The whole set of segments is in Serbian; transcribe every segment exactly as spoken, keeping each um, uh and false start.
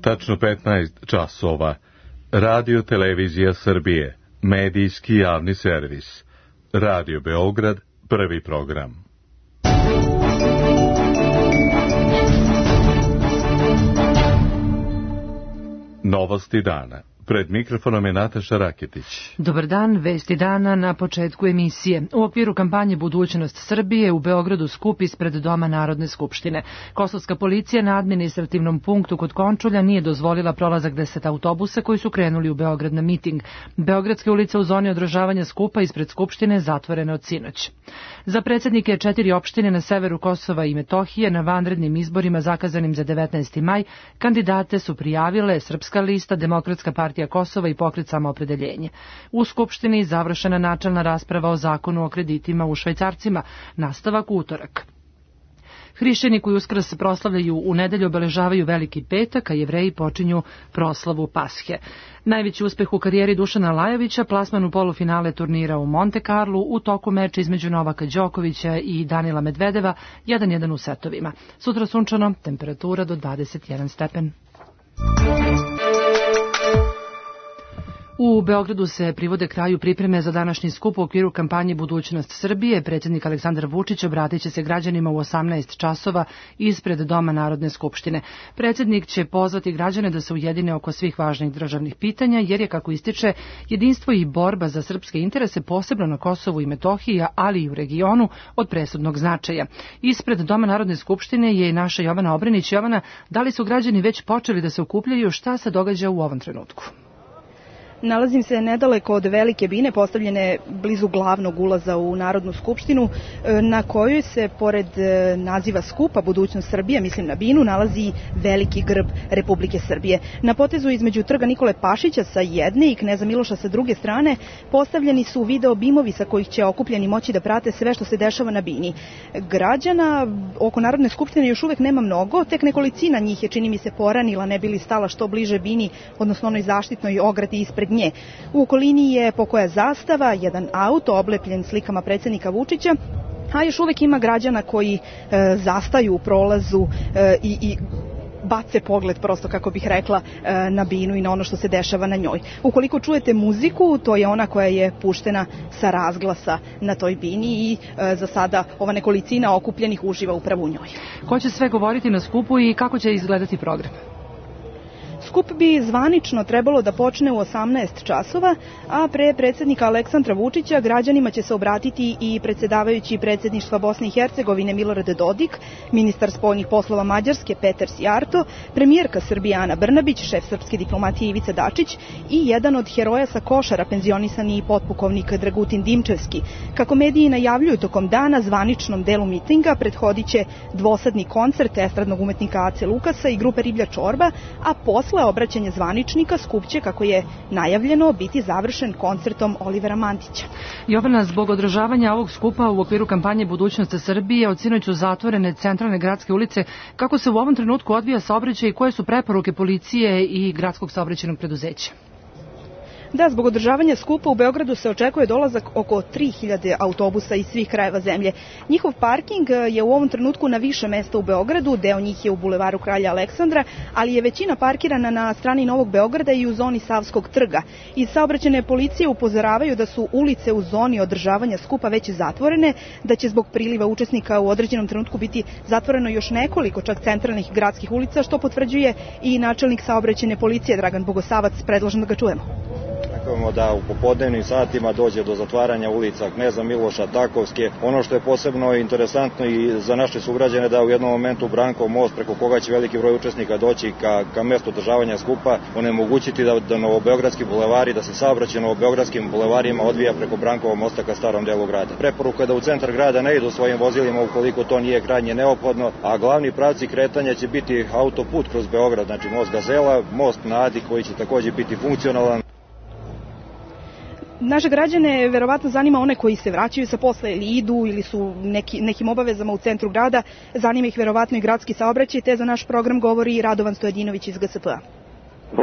Tačno petnaest časova. Radio Televizija Srbije, medijski javni servis. Radio Beograd, prvi program. Novosti dana. Pred mikrofonom je Nataša Raketić. Dobar dan, vesti dana na početku emisije. U okviru kampanje Budućnost Srbije u Beogradu skup ispred Doma Narodne skupštine. Kosovska policija na administrativnom punktu kod Končulja nije dozvolila prolazak deset autobusa koji su krenuli u Beograd na miting. Beogradske ulice u zoni održavanja skupa ispred Skupštine zatvorene od sinoć. Za predsjednike četiri opštine na severu Kosova i Metohije na vanrednim izborima zakazanim za devetnaesti maj kandidate su prijavile Srpska lista, Demokratska partija Kosova i Pokret Samoopredeljenje. U Skupštini završena načelna rasprava o zakonu o kreditima u švajcarcima, nastavak u utorak. Hrišćani koji Uskrs proslavljaju u nedelju obeležavaju Veliki petak, a Jevreji počinju proslavu Pashe. Najveći uspeh u karijeri Dušana Lajovića, plasman u polufinale turnira u Monte Carlu u toku meča između Novaka Đokovića i Danila Medvedeva, jedan jedan u setovima. Sutra sunčano, temperatura do dvadeset jedan stepen. U Beogradu se privode kraju pripreme za današnji skup u okviru kampanje Budućnost Srbije. Predsjednik Aleksandar Vučić obratit će se građanima u osamnaest časova ispred Doma Narodne skupštine. Predsjednik će pozvati građane da se ujedine oko svih važnih državnih pitanja, jer je, kako ističe, jedinstvo i borba za srpske interese posebno na Kosovu i Metohiji, ali i u regionu od presudnog značaja. Ispred Doma Narodne skupštine je i naša Jovana Obrenić. Jovana, da li su građani već počeli da se okupljaju? Šta se događa u ovom trenutku? Nalazim se nedaleko od Velike bine, postavljene blizu glavnog ulaza u Narodnu skupštinu, na kojoj se, pored naziva skupa Budućnost Srbije, mislim na binu, nalazi veliki grb Republike Srbije. Na potezu između trga Nikole Pašića sa jedne i Kneza Miloša sa druge strane postavljeni su video bimovi sa kojih će okupljeni moći da prate sve što se dešava na bini. Građana oko Narodne skupštine još uvek nema mnogo, tek nekolicina njih je, čini mi se, poranila, ne bili stala što bliže bini, odnosno onoj zaštitnoj ogradi ispred nje. U okolini je pokoja zastava, jedan auto oblepljen slikama predsjednika Vučića, a još uvek ima građana koji e, zastaju u prolazu e, i, i bace pogled, prosto kako bih rekla, e, na binu i na ono što se dešava na njoj. Ukoliko čujete muziku, to je ona koja je puštena sa razglasa na toj bini i e, za sada ova nekolicina okupljenih uživa upravo u njoj. Ko će sve govoriti na skupu i kako će izgledati program? Skup bi zvanično trebalo da počne u osamnaest časova, a pre predsjednika Aleksandra Vučića građanima će se obratiti i predsjedavajući predsjedništva Bosne i Hercegovine Milorad Dodik, ministar spoljnih poslova Mađarske Peter Sijarto, premijerka Srbije Ana Brnabić, šef srpske diplomatije Ivica Dačić i jedan od heroja sa Košara, penzionisani potpukovnik Dragutin Dimčevski. Kako mediji najavljuju, tokom dana zvaničnom delu mitinga prethodit će dvosadni koncert estradnog umetnika Ace Lukasa i grupe Riblja čorba, a posle obraćanja zvaničnika skup će, kako je najavljeno, biti završen koncertom Olivera Mantića. Jovana, zbog održavanja ovog skupa u okviru kampanje Budućnost Srbije od sinoć su zatvorene centralne gradske ulice. Kako se u ovom trenutku odvija saobraćaj i koje su preporuke policije i gradskog saobraćajnog preduzeća? Da, zbog održavanja skupa u Beogradu se očekuje dolazak oko tri hiljade autobusa iz svih krajeva zemlje. Njihov parking je u ovom trenutku na više mesta u Beogradu, deo njih je u bulevaru Kralja Aleksandra, ali je većina parkirana na strani Novog Beograda i u zoni Savskog trga. Iz saobraćajne policije upozoravaju da su ulice u zoni održavanja skupa već zatvorene, da će zbog priliva učesnika u određenom trenutku biti zatvoreno još nekoliko čak centralnih gradskih ulica, što potvrđuje i načelnik saobraćajne policije Dragan Bogosavac. Predlažem da ga čujemo. Očekujemo da u popodnevnim satima dođe do zatvaranja ulica Kneza Miloša, Takovske. Ono što je posebno interesantno i za naše sugrađane da u jednom momentu Brankov most, preko koga će veliki broj učesnika doći ka, ka mestu održavanja skupa, onemogućiti da, da novobeogradski bulevari, da se saobraćaj novobeogradskim bulevarima odvija preko Brankovog mosta ka starom delu grada. Preporuka je da u centar grada ne idu svojim vozilima ukoliko to nije krajnje neophodno, a glavni pravci kretanja će biti autoput kroz Beograd, znači most Gazela, most na Adi koji će takođe biti funkcionalan. Naše građane verovatno zanima one koji se vraćaju sa posla ili idu ili su neki, nekim obavezama u centru grada. Zanima ih verovatno i gradski saobraćaj, te za naš program govori Radovan Stojadinović iz G S P-a.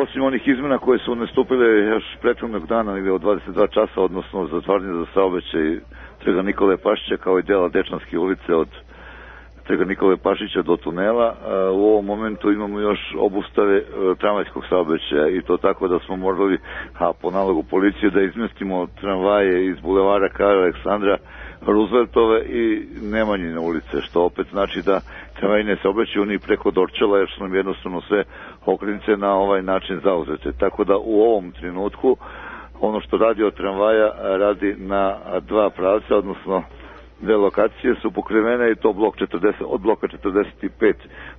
Osim onih izmena koje su nastupile još prethodnog dana ili od dvadeset dva časa, odnosno zatvaranje za saobraćaj trga Nikole Pašića kao i dela Dečanske ulice od Trga Nikole Pašića do tunela. U ovom momentu imamo još obustave tramvajskog saobraćaja i to tako da smo morali, a po nalogu policije, da izmestimo tramvaje iz bulevara Karla Aleksandra Rooseveltove i Nemanjine ulice, što opet znači da tramvaji ne se obraćaju ni preko Dorčela, jer su nam jednostavno sve okretnice na ovaj način zauzete. Tako da u ovom trenutku ono što radi od tramvaja radi na dva pravca, odnosno dve lokacije su pokrivene i to blok četrdeset, od bloka četrdeset pet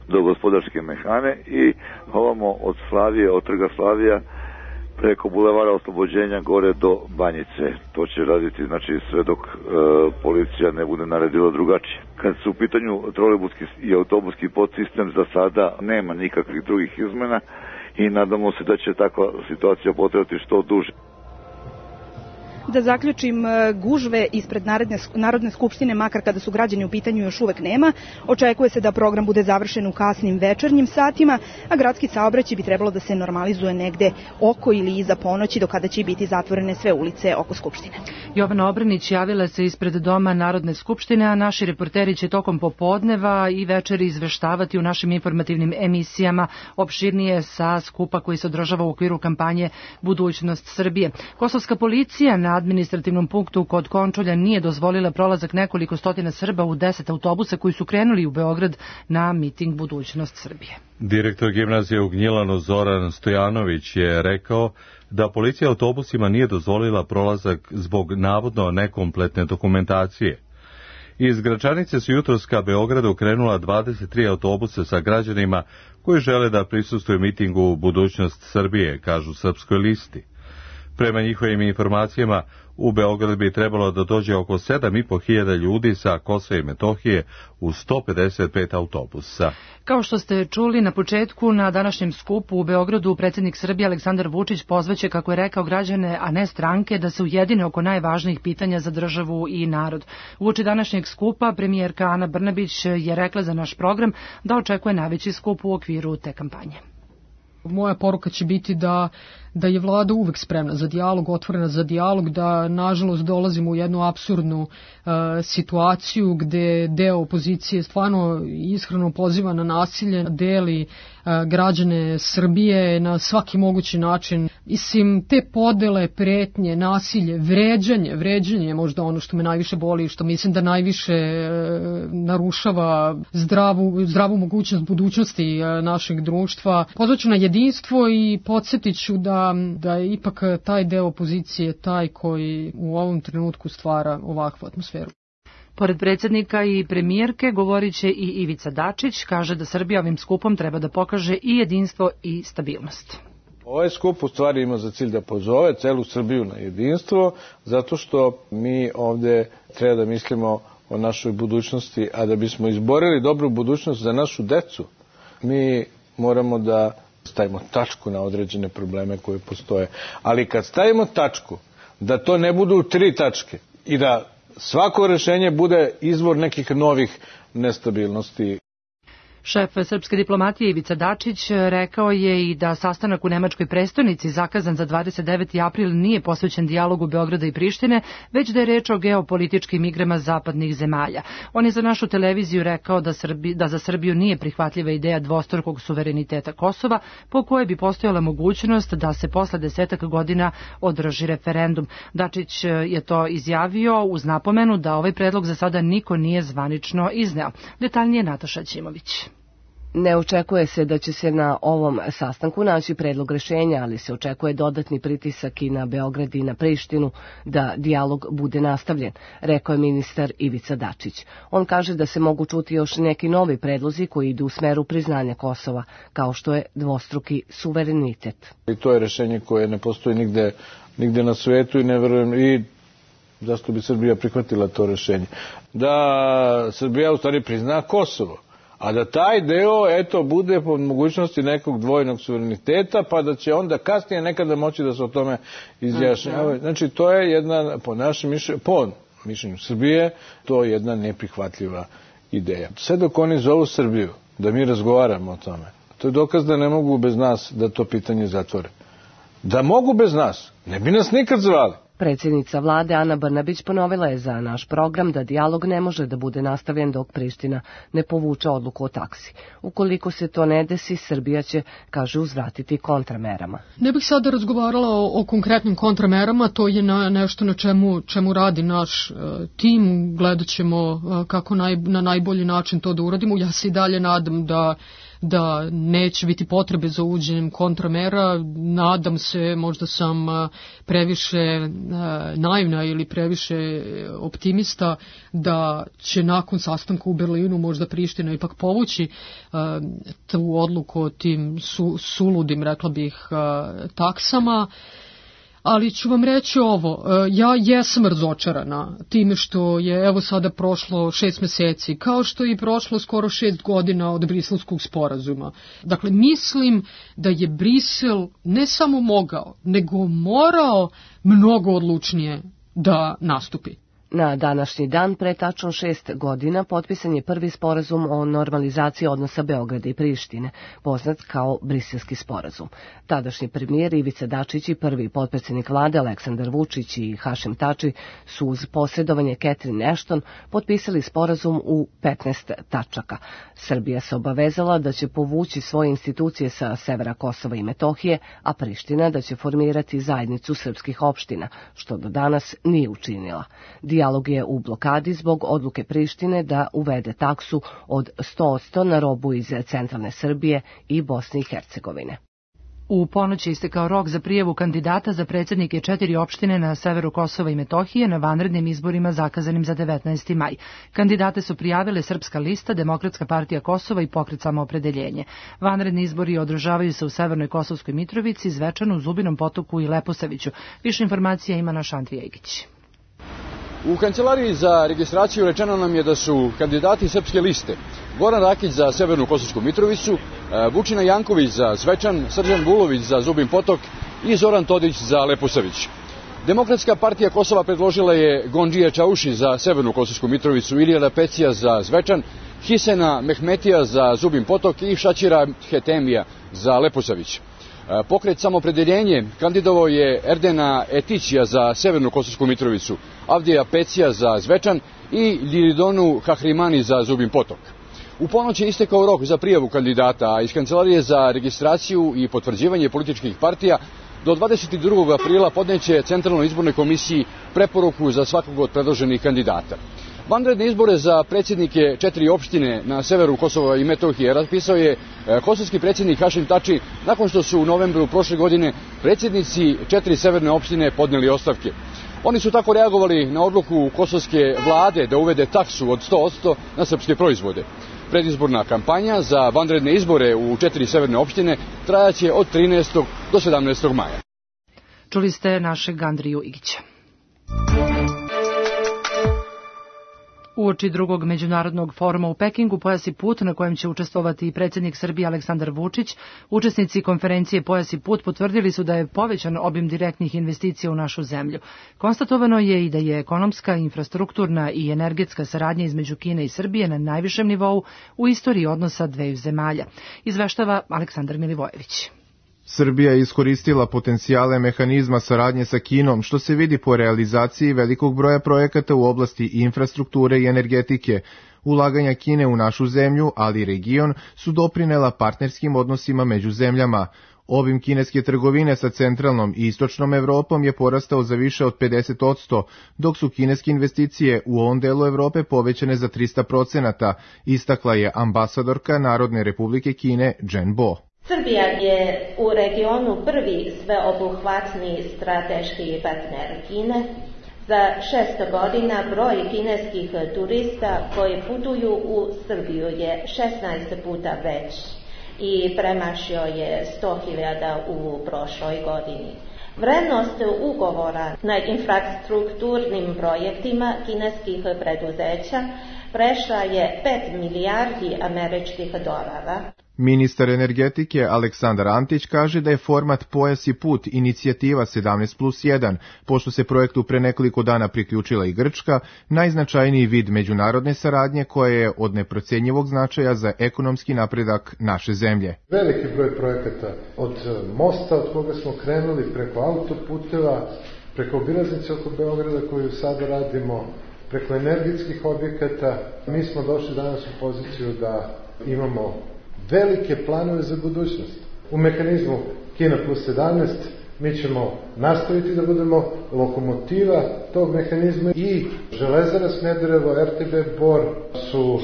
do Gospodarske mehane i ovamo od Slavije, od Trga Slavija preko bulevara Oslobođenja gore do Banjice. To će raditi znači sve dok e, policija ne bude naredila drugačije. Kad su u pitanju trolejbuski i autobuski podsistem, za sada nema nikakvih drugih izmena i nadamo se da će takva situacija potrajati što duže. Da zaključim, gužve ispred Narodne, Narodne skupštine, makar kada su građani u pitanju, još uvek nema. Očekuje se da program bude završen u kasnim večernjim satima, a gradski saobraćaj bi trebalo da se normalizuje negde oko ili iza ponoći, do kada će biti zatvorene sve ulice oko Skupštine. Jovana Obranić javila se ispred Doma Narodne skupštine, a naši reporteri će tokom popodneva i večeri izveštavati u našim informativnim emisijama opširnije sa skupa koji se održava u okviru kampanje Budućnost Srbije. Kosovska policija na administrativnom punktu kod Končulja nije dozvolila prolazak nekoliko stotina Srba u deset autobusa koji su krenuli u Beograd na miting Budućnost Srbije. Direktor gimnazije u Gnjilanu Zoran Stojanović je rekao da policija autobusima nije dozvolila prolazak zbog navodno nekompletne dokumentacije. Iz Gračanice su jutros ka Beogradu krenula dvadeset tri autobusa sa građanima koji žele da prisustvuju mitingu Budućnost Srbije, kažu Srpskoj listi. Prema njihovim informacijama, u Beograd bi trebalo da dođe oko sedam i po hiljada ljudi sa Kosova i Metohije u sto pedeset pet autobusa. Kao što ste čuli na početku, na današnjem skupu u Beogradu predsjednik Srbije Aleksandar Vučić pozvaće, kako je rekao, građane, a ne stranke, da se ujedine oko najvažnijih pitanja za državu i narod. Uoči današnjeg skupa premijerka Ana Brnabić je rekla za naš program da očekuje najveći skup u okviru te kampanje. Moja poruka će biti da, da je vlada uvek spremna za dijalog, otvorena za dijalog, da nažalost dolazimo u jednu apsurdnu uh, situaciju gde deo opozicije stvarno iskreno poziva na nasilje, deli uh, građane Srbije na svaki mogući način. Mislim, te podele, pretnje, nasilje, vređanje, vređanje je možda ono što me najviše boli, što mislim da najviše uh, narušava zdravu, zdravu mogućnost budućnosti uh, našeg društva. Pozvaću na jedinstvo i podsjetit ću da, da je ipak taj deo opozicije taj koji u ovom trenutku stvara ovakvu atmosferu. Pored predsjednika i premijerke govorit će i Ivica Dačić, kaže da Srbija ovim skupom treba da pokaže i jedinstvo i stabilnost. Ovaj skup u stvari ima za cilj da pozove celu Srbiju na jedinstvo, zato što mi ovde treba da mislimo o našoj budućnosti, a da bismo izborili dobru budućnost za našu decu, mi moramo da stavimo tačku na određene probleme koje postoje. Ali kad stavimo tačku, da to ne budu tri tačke i da svako rešenje bude izvor nekih novih nestabilnosti. Šef srpske diplomatije Ivica Dačić rekao je i da sastanak u nemačkoj prestonici zakazan za dvadeset deveti april nije posvećen dijalogu Beograda i Prištine, već da je reč o geopolitičkim igrama zapadnih zemalja. On je za našu televiziju rekao da, Srbi, da za Srbiju nije prihvatljiva ideja dvostrukog suvereniteta Kosova, po kojoj bi postojala mogućnost da se posle desetak godina održi referendum. Dačić je to izjavio uz napomenu da ovaj predlog za sada niko nije zvanično izneo. Detaljnije Nataša Ćimović. Ne očekuje se da će se na ovom sastanku naći predlog rešenja, ali se očekuje dodatni pritisak i na Beograd i na Prištinu da dijalog bude nastavljen, rekao je ministar Ivica Dačić. On kaže da se mogu čuti još neki novi predlozi koji idu u smeru priznanja Kosova, kao što je dvostruki suverenitet. I to je rešenje koje ne postoji nigde, nigde na svetu i ne verujem i zašto bi Srbija prihvatila to rešenje. Da Srbija u stvari prizna Kosovo. A da taj deo, eto, bude po mogućnosti nekog dvojnog suvereniteta, pa da će onda kasnije nekada moći da se o tome izjašnjava. Znači, to je jedna, po našem mišljenju, po mišljenju Srbije, to je jedna neprihvatljiva ideja. Sve dok oni zovu Srbiju, da mi razgovaramo o tome, to je dokaz da ne mogu bez nas da to pitanje zatvore. Da mogu bez nas, ne bi nas nikad zvali. Predsjednica vlade Ana Brnabić ponovila je za naš program da dijalog ne može da bude nastavljen dok Priština ne povuče odluku o taksi. Ukoliko se to ne desi, Srbija će, kaže, uzvratiti kontramerama. Ne bih sada razgovarala o, o konkretnim kontramerama, to je na, nešto na čemu, čemu radi naš uh, tim, gledat ćemo uh, kako naj, na najbolji način to da uradimo. Ja se i dalje nadam da da neće biti potrebe za uvođenjem kontramera. Nadam se, možda sam previše naivna ili previše optimista, da će nakon sastanka u Berlinu možda Priština ipak povući tu odluku o tim su, suludim, rekla bih, taksama. Ali ću vam reći ovo, ja jesam razočarana time što je evo sada prošlo šest meseci, kao što je i prošlo skoro šest godina od Briselskog sporazuma. Dakle, mislim da je Brisel ne samo mogao, nego morao mnogo odlučnije da nastupi. Na današnji dan, pre tačno šest godina, potpisan je prvi sporazum o normalizaciji odnosa Beograda i Prištine, poznat kao Briselski sporazum. Tadašnji premijer Ivica Dačić i prvi potpredsjednik vlade Aleksandar Vučić i Hašim Tači su uz posredovanje Catherine Ashton potpisali sporazum u petnaest tačaka. Srbija se obavezala da će povući svoje institucije sa severa Kosova i Metohije, a Priština da će formirati zajednicu srpskih opština, što do danas nije učinila. Dijalog je u blokadi zbog odluke Prištine da uvede taksu od sto posto na robu iz centralne Srbije i Bosne i Hercegovine. U ponoć je istekao rok za prijavu kandidata za predsjednike četiri opštine na severu Kosova i Metohije na vanrednim izborima zakazanim za devetnaesti maj. Kandidate su prijavile Srpska lista, Demokratska partija Kosova i Pokret Samoopredeljenje. Vanredni izbori održavaju se u Severnoj Kosovskoj Mitrovici, Zvečanu, Zubinom Potoku i Leposaviću. Više informacija ima naš Andrija Igić. U kancelariji za registraciju rečeno nam je da su kandidati Srpske liste Goran Rakić za Severnu Kosovsku Mitrovicu, Vučina Janković za Zvečan, Srđan Vulović za Zubin Potok i Zoran Todić za Leposavić. Demokratska partija Kosova predložila je Gondžija Čauši za Severnu Kosovsku Mitrovicu, Ilijada Pecija za Zvečan, Hisena Mehmetija za Zubin Potok i Šačira Hetemija za Leposavić. Pokret Samoopredeljenje kandidovao je Erdena Etićija za Severnu Kosovsku Mitrovicu, Avdija Pecija za Zvečan i Liridonu Hahrimani za Zubin Potok. U ponoć je istekao rok za prijavu kandidata, a iz Kancelarije za registraciju i potvrđivanje političkih partija do dvadeset drugog aprila podneće Centralnoj izbornoj komisiji preporuku za svakog od predloženih kandidata. Vanredne izbore za predsjednike četiri opštine na severu Kosova i Metohije raspisao je kosovski predsjednik Hašim Tači nakon što su u novembru prošle godine predsjednici četiri severne opštine podnijeli ostavke. Oni su tako reagovali na odluku kosovske vlade da uvede taksu od sto posto na srpske proizvode. Predizborna kampanja za vanredne izbore u četiri severne opštine trajaće od trinaestog do sedamnaestog maja. Čuli ste našeg Andriju Igića. Uoči drugog međunarodnog foruma u Pekingu Pojas i put, na kojem će učestvovati i predsjednik Srbije Aleksandar Vučić, učesnici konferencije Pojas i put potvrdili su da je povećan obim direktnih investicija u našu zemlju. Konstatovano je i da je ekonomska, infrastrukturna i energetska saradnja između Kine i Srbije na najvišem nivou u istoriji odnosa dveju zemalja. Izveštava Aleksandar Milivojević. Srbija je iskoristila potencijale mehanizma saradnje sa Kinom, što se vidi po realizaciji velikog broja projekata u oblasti infrastrukture i energetike. Ulaganja Kine u našu zemlju, ali i region, su doprinela partnerskim odnosima među zemljama. Obim kineske trgovine sa centralnom i istočnom Evropom je porastao za više od pedeset posto, dok su kineske investicije u ovom delu Evrope povećane za trista procenata, istakla je ambasadorka Narodne republike Kine Jen Bo. Srbija je u regionu prvi sveobuhvatni strateški partner Kine. Za šest godina broj kineskih turista koji putuju u Srbiju je šesnaest puta veći i premašio je sto hiljada u prošloj godini. Vrednost ugovora na infrastrukturnim projektima kineskih preduzeća prešla je pet milijardi američkih dolara. Ministar energetike Aleksandar Antić kaže da je format Pojas i put inicijativa sedamnaest plus jedan, pošto se projektu pre nekoliko dana priključila i Grčka, najznačajniji vid međunarodne saradnje koja je od neprocenjivog značaja za ekonomski napredak naše zemlje. Veliki broj projekata od mosta od koga smo krenuli preko autoputeva, preko obilaznice oko Beograda koju sada radimo, preko energetskih objekata. Mi smo došli danas u poziciju da imamo velike planove za budućnost. U mehanizmu Kina plus sedamnaest mi ćemo nastaviti da budemo lokomotiva tog mehanizma i Železara Smederevo, er te be Bor su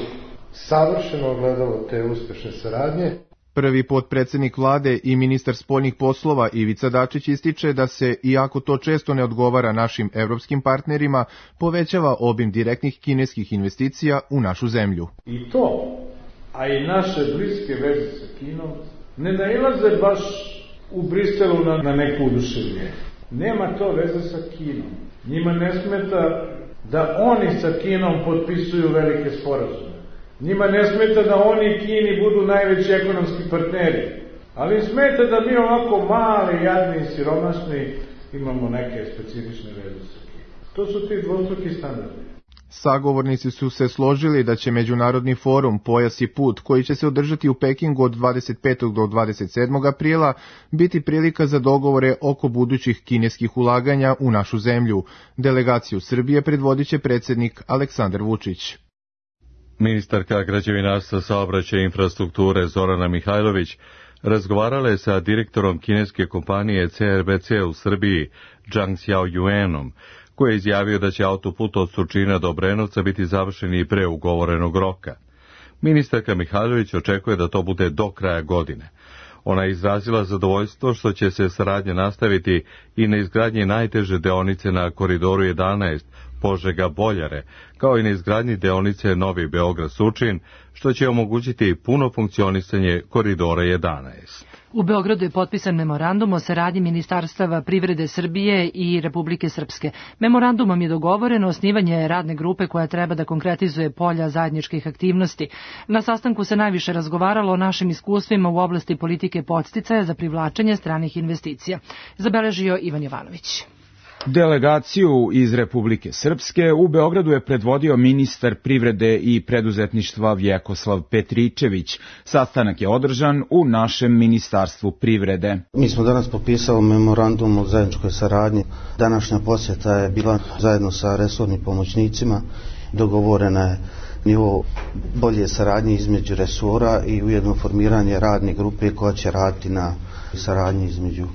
savršeno ogledalo te uspešne saradnje. Prvi potpredsednik vlade i ministar spoljnih poslova Ivica Dačić ističe da se, iako to često ne odgovara našim evropskim partnerima, povećava obim direktnih kineskih investicija u našu zemlju. I to, a i naše bliske veze sa Kinom, ne nailaze baš u Briselu na, na neku oduševljenje. Nema to veze sa Kinom. Njima ne smeta da oni sa Kinom potpisuju velike sporazume. Njima ne smeta da oni i Kini budu najveći ekonomski partneri. Ali smeta da mi ovako mali, jadni i siromašni imamo neke specifične veze sa Kinom. To su ti dvostruki standardi. Sagovornici su se složili da će Međunarodni forum Pojas i put, koji će se održati u Pekingu od dvadeset petog do dvadeset sedmog aprila, biti prilika za dogovore oko budućih kineskih ulaganja u našu zemlju. Delegaciju Srbije predvodit će predsednik Aleksandar Vučić. Ministarka građevinarstva, saobraćaja i infrastrukture Zorana Mihajlović razgovarala je sa direktorom kineske kompanije ce er be ce u Srbiji, Zhang Xiaoyuanom, koji je izjavio da će autoput od Surčina do Obrenovca biti završen i pre ugovorenog roka. Ministarka Mihajlović očekuje da to bude do kraja godine. Ona je izrazila zadovoljstvo što će se saradnja nastaviti i na izgradnji najteže deonice na koridoru jedanaest, Požega-Boljare, kao i na izgradnji deonice Novi Beograd-Surčin, što će omogućiti puno funkcionisanje koridora jedanaest. U Beogradu je potpisan memorandum o saradnji Ministarstava privrede Srbije i Republike Srpske. Memorandumom je dogovoreno osnivanje radne grupe koja treba da konkretizuje polja zajedničkih aktivnosti. Na sastanku se najviše razgovaralo o našim iskustvima u oblasti politike podsticaja za privlačenje stranih investicija. Zabeležio Ivan Jovanović. Delegaciju iz Republike Srpske u Beogradu je predvodio ministar privrede i preduzetništva Vjekoslav Petričević. Sastanak je održan u našem Ministarstvu privrede. Mi smo danas potpisali memorandum o zajedničkoj saradnji. Današnja posjeta je bila zajedno sa resornim pomoćnicima. Dogovorena je nivo bolje saradnje između resora i ujedno formiranje radne grupe koja će raditi na saradnji između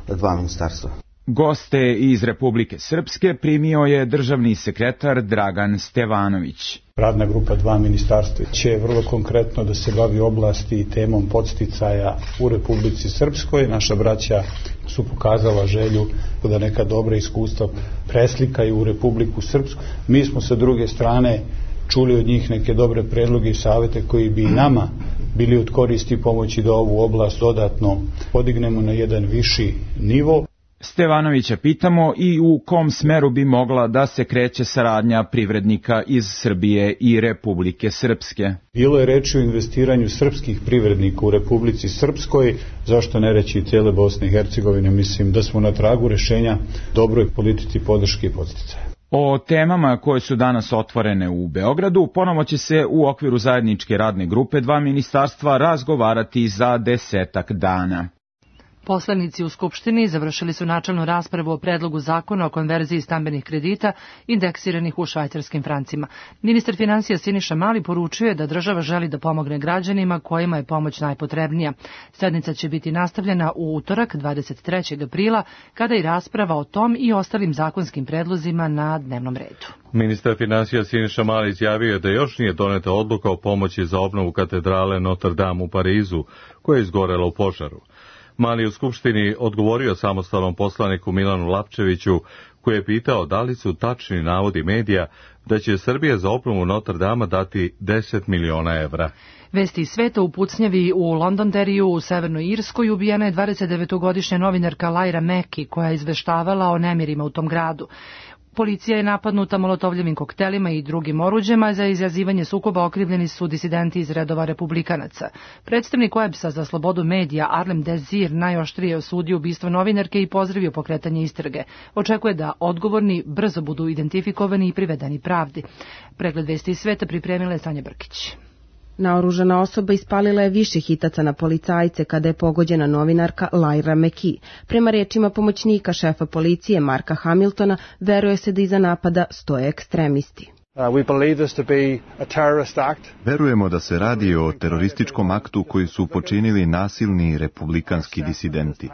dva ministarstva. Goste iz Republike Srpske primio je državni sekretar Dragan Stevanović. Radna grupa dva ministarstva će vrlo konkretno da se bavi oblasti i temom podsticaja u Republici Srpskoj. Naša braća su pokazala želju da neka dobra iskustva preslikaju u Republiku Srpsku. Mi smo sa druge strane čuli od njih neke dobre predloge i savete koji bi nama bili od koristi i pomoći da ovu oblast dodatno podignemo na jedan viši nivo. Stevanovića pitamo i u kom smeru bi mogla da se kreće saradnja privrednika iz Srbije i Republike Srpske. Bilo je reči o investiranju srpskih privrednika u Republici Srpskoj, zašto ne reći i cijele Bosne i Hercegovine. Mislim da smo na tragu rešenja dobroj politici podrške i podsticaja. O temama koje su danas otvorene u Beogradu ponovo će se u okviru zajedničke radne grupe dva ministarstva razgovarati za desetak dana. Poslanici u Skupštini završili su načelnu raspravu o predlogu zakona o konverziji stambenih kredita indeksiranih u švajcarskim francima. Ministar finansija Siniša Mali poručio je da država želi da pomogne građanima kojima je pomoć najpotrebnija. Sednica će biti nastavljena u utorak dvadeset trećeg aprila, kada i rasprava o tom i ostalim zakonskim predlozima na dnevnom redu. Ministar finansija Siniša Mali izjavio je da još nije doneta odluka o pomoći za obnovu katedrale Notre Dame u Parizu, koja je izgorela u požaru. Mali u Skupštini odgovorio samostalnom poslaniku Milanu Lapčeviću, koji je pitao da li su tačni navodi medija da će Srbija za obnovu Notre Dama dati deset miliona evra. Vesti iz sveta u pucnjavi u Londonderriju u Severnoj Irskoj ubijena je dvadesetdevetogodišnja novinarka Laira Meki, koja je izveštavala o nemirima u tom gradu. Policija je napadnuta molotovljevim koktelima i drugim oruđema. Za izazivanje sukoba okrivljeni su disidenti iz redova republikanaca. Predstavnik Websa za slobodu medija Arlem Desir najoštrije osudio ubistvo novinarke i pozdravio pokretanje istrage. Očekuje da odgovorni brzo budu identifikovani i privedeni pravdi. Pregled vesti iz sveta pripremila je Sanja Brkić. Naoružana osoba ispalila je više hitaca na policajce kada je pogođena novinarka Lyra McKee. Prema rečima pomoćnika šefa policije Marka Hamiltona, veruje se da iza napada stoje ekstremisti. Verujemo da se radi o terorističkom aktu koji su počinili nasilni republikanski disidenti.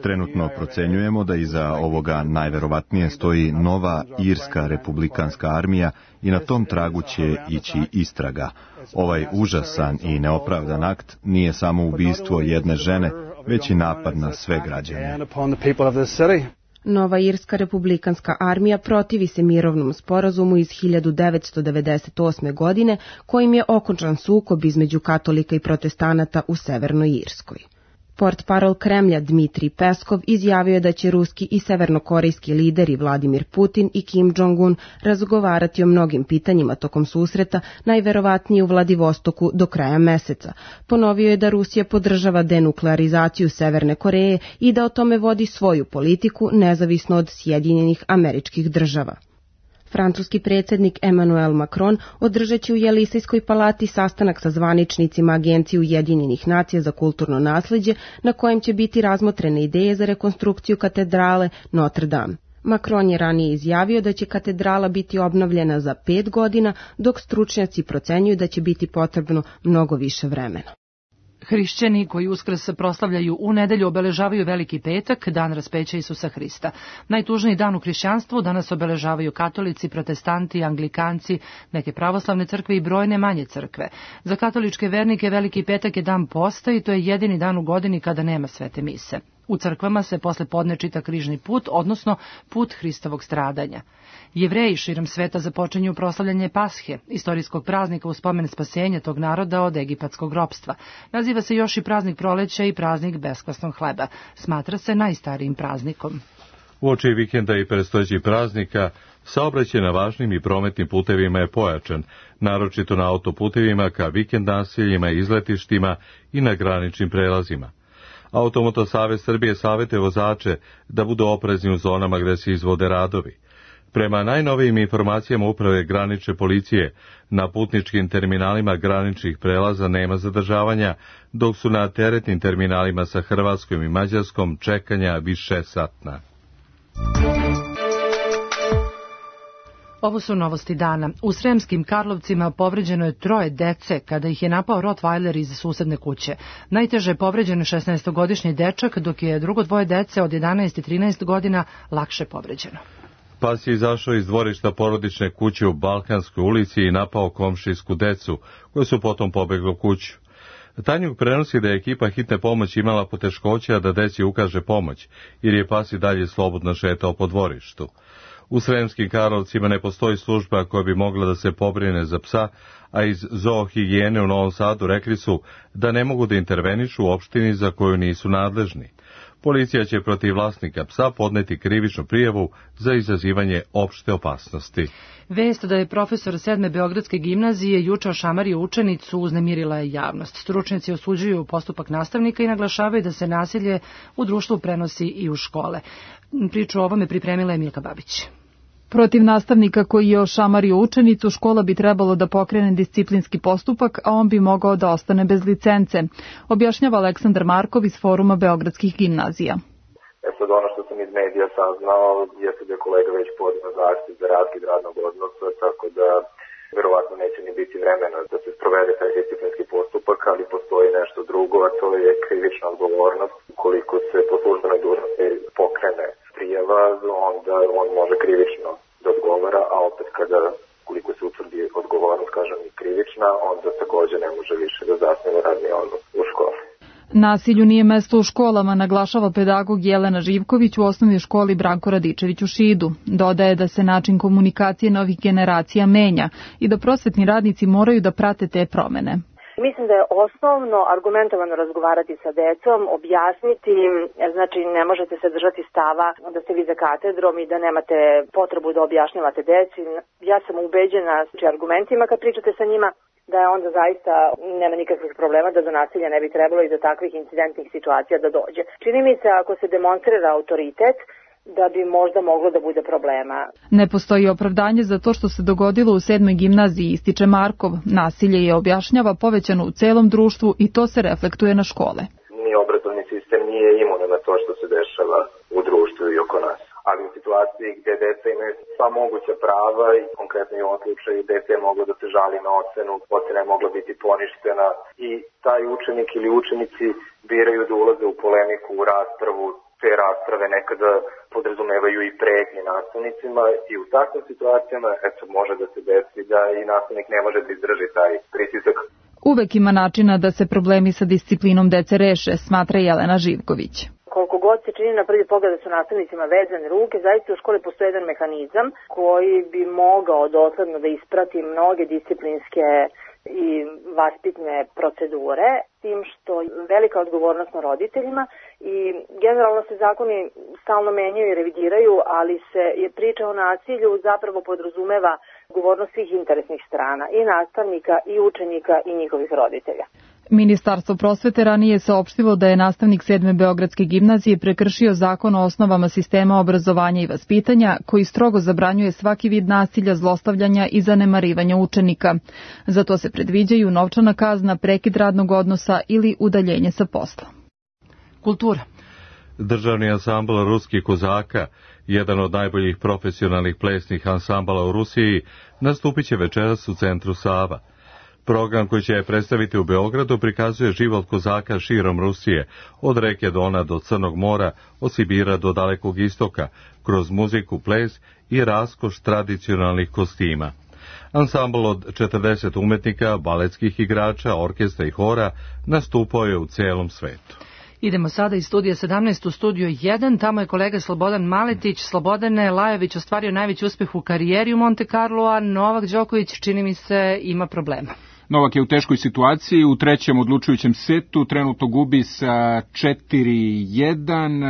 Trenutno procenjujemo da iza ovoga najverovatnije stoji nova irska republikanska armija i na tom tragu će ići istraga. Ovaj užasan i neopravdan akt nije samo ubistvo jedne žene, već i napad na sve građane. Nova irska republikanska armija protivi se mirovnom sporazumu iz hiljadu devetsto devedeset osme. godine, kojim je okončan sukob između katolika i protestanata u Severnoj Irskoj. Portparol Kremlja Dmitrij Peskov izjavio je da će ruski i severnokorejski lideri Vladimir Putin i Kim Jong-un razgovarati o mnogim pitanjima tokom susreta, najverovatnije u Vladivostoku do kraja meseca. Ponovio je da Rusija podržava denuklearizaciju Severne Koreje i da o tome vodi svoju politiku nezavisno od Sjedinjenih Američkih Država. Francuski predsjednik Emmanuel Macron održat će u Jelisejskoj palati sastanak sa zvaničnicima Agencije Ujedinjenih nacija za kulturno nasleđe, na kojem će biti razmotrene ideje za rekonstrukciju katedrale Notre Dame. Macron je ranije izjavio da će katedrala biti obnovljena za pet godina, dok stručnjaci procenjuju da će biti potrebno mnogo više vremena. Hrišćani koji Uskrs proslavljaju u nedelju obeležavaju Veliki petak, dan raspeća Isusa Hrista. Najtužniji dan u hrišćanstvu danas obeležavaju katolici, protestanti, anglikanci, neke pravoslavne crkve i brojne manje crkve. Za katoličke vernike Veliki petak je dan posta i to je jedini dan u godini kada nema svete mise. U crkvama se posle podne čita križni put, odnosno put Hristovog stradanja. Jevreji širom sveta započinju proslavljanje Pashe, istorijskog praznika u spomen spasenja tog naroda od egipatskog ropstva. Naziva se još i praznik proleća i praznik beskvasnog hleba. Smatra se najstarijim praznikom. Uoči vikenda i predstojećih praznika, saobraćaj na važnim i prometnim putevima je pojačan, naročito na autoputevima ka vikend naseljima i izletištima i na graničnim prelazima. Automoto savez Srbije savjetuje vozače da budu oprezni u zonama gde se izvode radovi. Prema najnovijim informacijama uprave granične policije, na putničkim terminalima graničnih prelaza nema zadržavanja, dok su na teretnim terminalima sa Hrvatskom i Mađarskom čekanja više satna. Ovo su novosti dana. U Sremskim Karlovcima povređeno je troje dece kada ih je napao Rottweiler iz susedne kuće. Najteže je povređen šesnaestogodišnji dečak, dok je drugo dvoje dece od jedanaest i trinaest godina lakše povređeno. Pas je izašao iz dvorišta porodične kuće u Balkanskoj ulici i napao komšijsku decu, koje su potom pobegli u kuću. Tanjuk prenosi da je ekipa hitne pomoći imala poteškoća da deci ukaže pomoć, jer je pas i dalje slobodno šetao po dvorištu. U Sremskim Karlovcima ne postoji služba koja bi mogla da se pobrine za psa, a iz zoohigijene u Novom Sadu rekli su da ne mogu da intervenišu u opštini za koju nisu nadležni. Policija će protiv vlasnika psa podneti krivičnu prijavu za izazivanje opšte opasnosti. Vest da je profesor sedme Beogradske gimnazije juče ošamario učenicu uznemirila je javnost. Stručnjaci osuđuju postupak nastavnika i naglašavaju da se nasilje u društvu prenosi i u škole. Priču o ovome pripremila je Milka Babić. Protiv nastavnika koji je ošamario učenicu, škola bi trebalo da pokrene disciplinski postupak, a on bi mogao da ostane bez licence, objašnjava Aleksandar Markov iz Foruma Beogradskih gimnazija. E sad ono što sam iz medija saznao jeste da je kolega već podneo zahtev za raskid radnog odnosa, tako da verovatno neće ni biti vremena da se sprovede taj disciplinski postupak, ali postoji nešto drugo, a to je krivična odgovornost. Ukoliko se po službenoj dužnosti pokrene prijava, onda on može krivično da odgovara, a opet kada, koliko se utvrdi odgovornost, kažem i krivična, onda također ne može više da zasniva radni odnos u školi. Nasilju nije mesto u školama, naglašava pedagog Jelena Živković u osnovnoj školi Branko Radičević u Šidu. Dodaje da se način komunikacije novih generacija menja i da prosvetni radnici moraju da prate te promene. Mislim da je osnovno argumentovano razgovarati sa decom, objasniti im, znači ne možete se držati stava da ste vi za katedrom i da nemate potrebu da objašnjavate deci. Ja sam ubeđena znači, argumentima kad pričate sa njima da je onda zaista nema nikakvih problema da do nasilja ne bi trebalo i do takvih incidentnih situacija da dođe. Čini mi se ako se demonstrira autoritet da bi možda moglo da bude problema. Ne postoji opravdanje za to što se dogodilo u sedmoj gimnaziji, ističe Markov. Nasilje je, objašnjava, povećano u celom društvu i to se reflektuje na škole. Ni obrazovni sistem nije imun na to što se dešava u društvu i oko nas. Ali u situaciji gde deca imaju sva moguća prava i konkretno i u ovom slučaju dete je moglo da se žali na ocenu, ocena je mogla biti poništena i taj učenik ili učenici biraju da ulaze u polemiku, u raspravu. Te rasprave nekada podrazumevaju i pretnje nastavnicima i u takvim situacijama eto, može da se desi da i nastavnik ne može da izdrži taj pritisak. Uvek ima načina da se problemi sa disciplinom dece reše, smatra Jelena Živković. Koliko god se čini na prvi pogled da su nastavnicima vezane ruke, zaista u školi postoji jedan mehanizam koji bi mogao dosledno da isprati mnoge disciplinske i vaspitne procedure, tim što je velika odgovornost na roditeljima i generalno se zakoni stalno menjaju i revidiraju, ali se je priča o nasilju zapravo podrazumeva odgovornost svih interesnih strana, i nastavnika, i učenika, i njihovih roditelja. Ministarstvo prosvete ranije je saopštilo da je nastavnik sedme Beogradske gimnazije prekršio zakon o osnovama sistema obrazovanja i vaspitanja, koji strogo zabranjuje svaki vid nasilja, zlostavljanja i zanemarivanja učenika. Za to se predviđaju novčana kazna, prekid radnog odnosa ili udaljenje sa posla. Kultura. Državni ansambl ruskih kozaka, jedan od najboljih profesionalnih plesnih ansambala u Rusiji, nastupit će večeras u centru Sava. Program koji će predstaviti u Beogradu prikazuje život kozaka širom Rusije, od reke Dona do Crnog mora, od Sibira do Dalekog istoka, kroz muziku, ples i raskoš tradicionalnih kostima. Ansambl od četrdeset umetnika, baletskih igrača, orkestra i hora nastupao je u celom svetu. Idemo sada iz studija sedamnaest u studio jedan, tamo je kolega Slobodan Maletić. Slobodane, Lajović ostvario najveći uspeh u karijeri u Monte Carlo, a Novak Đoković, čini mi se, ima problema. Novak je u teškoj situaciji, u trećem odlučujućem setu, trenutno gubi sa četiri jedan,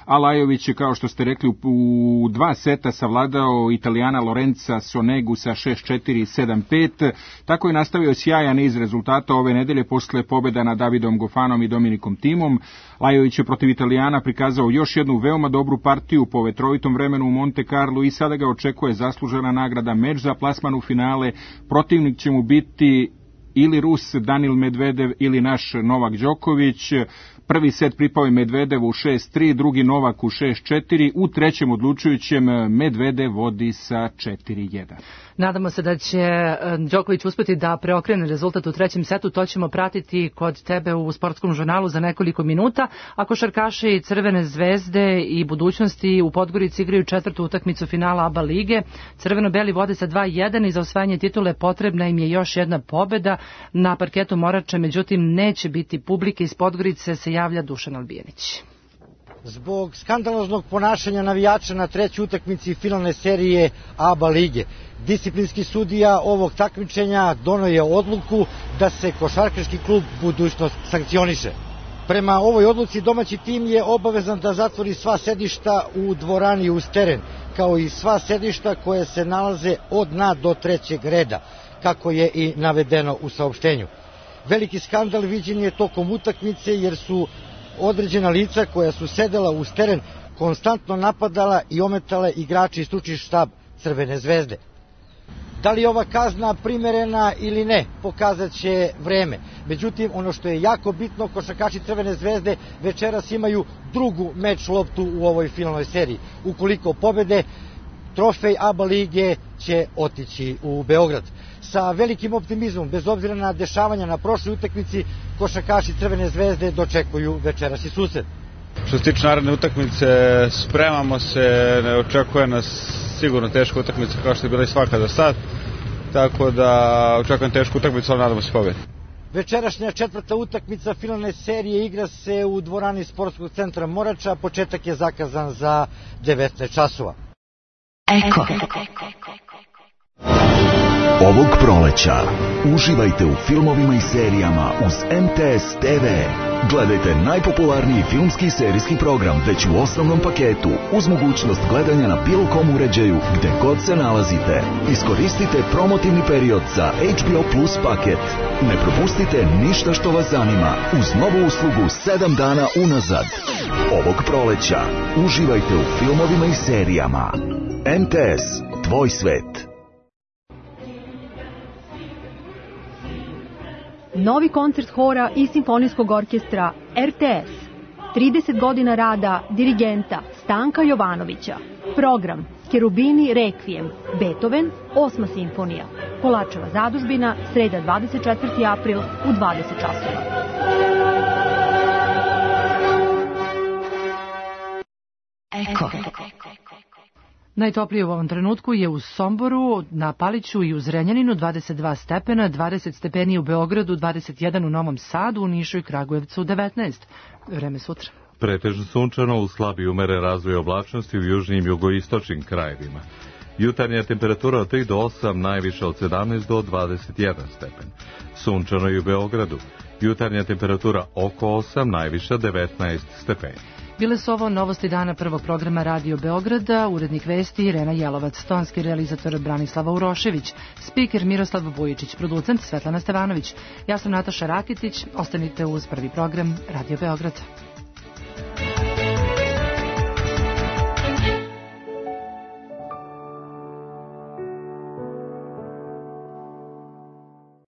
a Lajović je, kao što ste rekli, u dva seta savladao Italijana Lorenza Sonegu sa šest četiri i sedam pet. Tako je nastavio sjajan niz rezultata ove nedelje posle pobjeda nad Davidom Gofanom i Dominikom Timom. Lajović je protiv Italijana prikazao još jednu veoma dobru partiju po vetrovitom vremenu u Monte Carlo i sada ga očekuje zaslužena nagrada, meč za plasman u finale. Protivnik će mu biti ili Rus Danil Medvedev ili naš Novak Đoković. Prvi set pripao je Medvedevu u šest tri, drugi Novak u šest četiri, u trećem odlučujućem Medvedev vodi sa četiri jedan. Nadamo se da će Đoković uspeti da preokrene rezultat u trećem setu, to ćemo pratiti kod tebe u sportskom žurnalu za nekoliko minuta. A košarkaši Crvene zvezde i Budućnosti u Podgorici igraju četvrtu utakmicu finala A B A lige. Crveno-beli vode sa dva jedan i za osvajanje titule potrebna im je još jedna pobeda. Na parketu Morače, međutim, neće biti publike. Iz Podgorice se javlja Dušan Albijanić. Zbog skandaloznog ponašanja navijača na trećoj utakmici finalne serije A B A lige, disciplinski sudija ovog takmičenja doneo je odluku da se košarkaški klub Budućnost sankcioniše. Prema ovoj odluci domaći tim je obavezan da zatvori sva sedišta u dvorani uz teren, kao i sva sedišta koje se nalaze od dna do trećeg reda, kako je i navedeno u saopštenju. Veliki skandal viđen je tokom utakmice jer su određena lica koja su sedela uz teren konstantno napadala i ometala igrači i stručni štab Crvene zvezde. Da li je ova kazna primerena ili ne, pokazat će vreme. Međutim, ono što je jako bitno, košarkaši Crvene zvezde večeras imaju drugu meč loptu u ovoj finalnoj seriji. Ukoliko pobede, trofej A B A lige će otići u Beograd. Sa velikim optimizmom, bez obzira na dešavanja na prošloj utakmici, košarkaši Crvene zvezde dočekuju večerasni susret. Što se tiče naredne utakmice, spremamo se, ne očekuje nas sigurno teška utakmica kao što je bila i svaka do sad, tako da očekujem tešku utakmicu, ali nadamo se pobedi. Večerašnja četvrta utakmica finalne serije igra se u dvorani Sportskog centra Morača, početak je zakazan za devetnaest časova. Eko. Ovog proleća uživajte u filmovima i serijama uz M T S T V. Gledajte najpopularniji filmski i serijski program već u osnovnom paketu uz mogućnost gledanja na bilo kom uređaju gde god se nalazite. Iskoristite promotivni period za H B O Plus paket. Ne propustite ništa što vas zanima uz novu uslugu sedam dana unazad. Ovog proleća uživajte u filmovima i serijama. M T S, tvoj svet. Novi koncert hora i simfonijskog orkestra R T S. trideset godina rada dirigenta Stanka Jovanovića. Program Kerubini Rekvijem, Beethoven, osma simfonija. Kolačeva zadužbina, sreda dvadeset četvrti april u dvadeset časova. Eko. Najtoplije u ovom trenutku je u Somboru, na Paliću i u Zrenjaninu dvadeset dva stepena, dvadeset stepeni u Beogradu, dvadeset jedan u Novom Sadu, u Nišu i Kragujevcu devetnaest. Vreme sutra. Pretežno sunčano uz slabi umeren razvoj oblačnosti u južnim i jugoistočnim krajevima. Jutarnja temperatura od tri do osam, najviša od sedamnaest do dvadeset jedan stepen. Sunčano i u Beogradu. Jutarnja temperatura oko osam, najviša devetnaest stepeni. Bile su ovo novosti dana prvog programa Radio Beograda, urednik vesti Irena Jelovac, tonski realizator Branislava Urošević, spiker Miroslav Vujičić, producent Svetlana Stevanović. Ja sam Nataša Rakitić, ostanite uz prvi program Radio Beograda.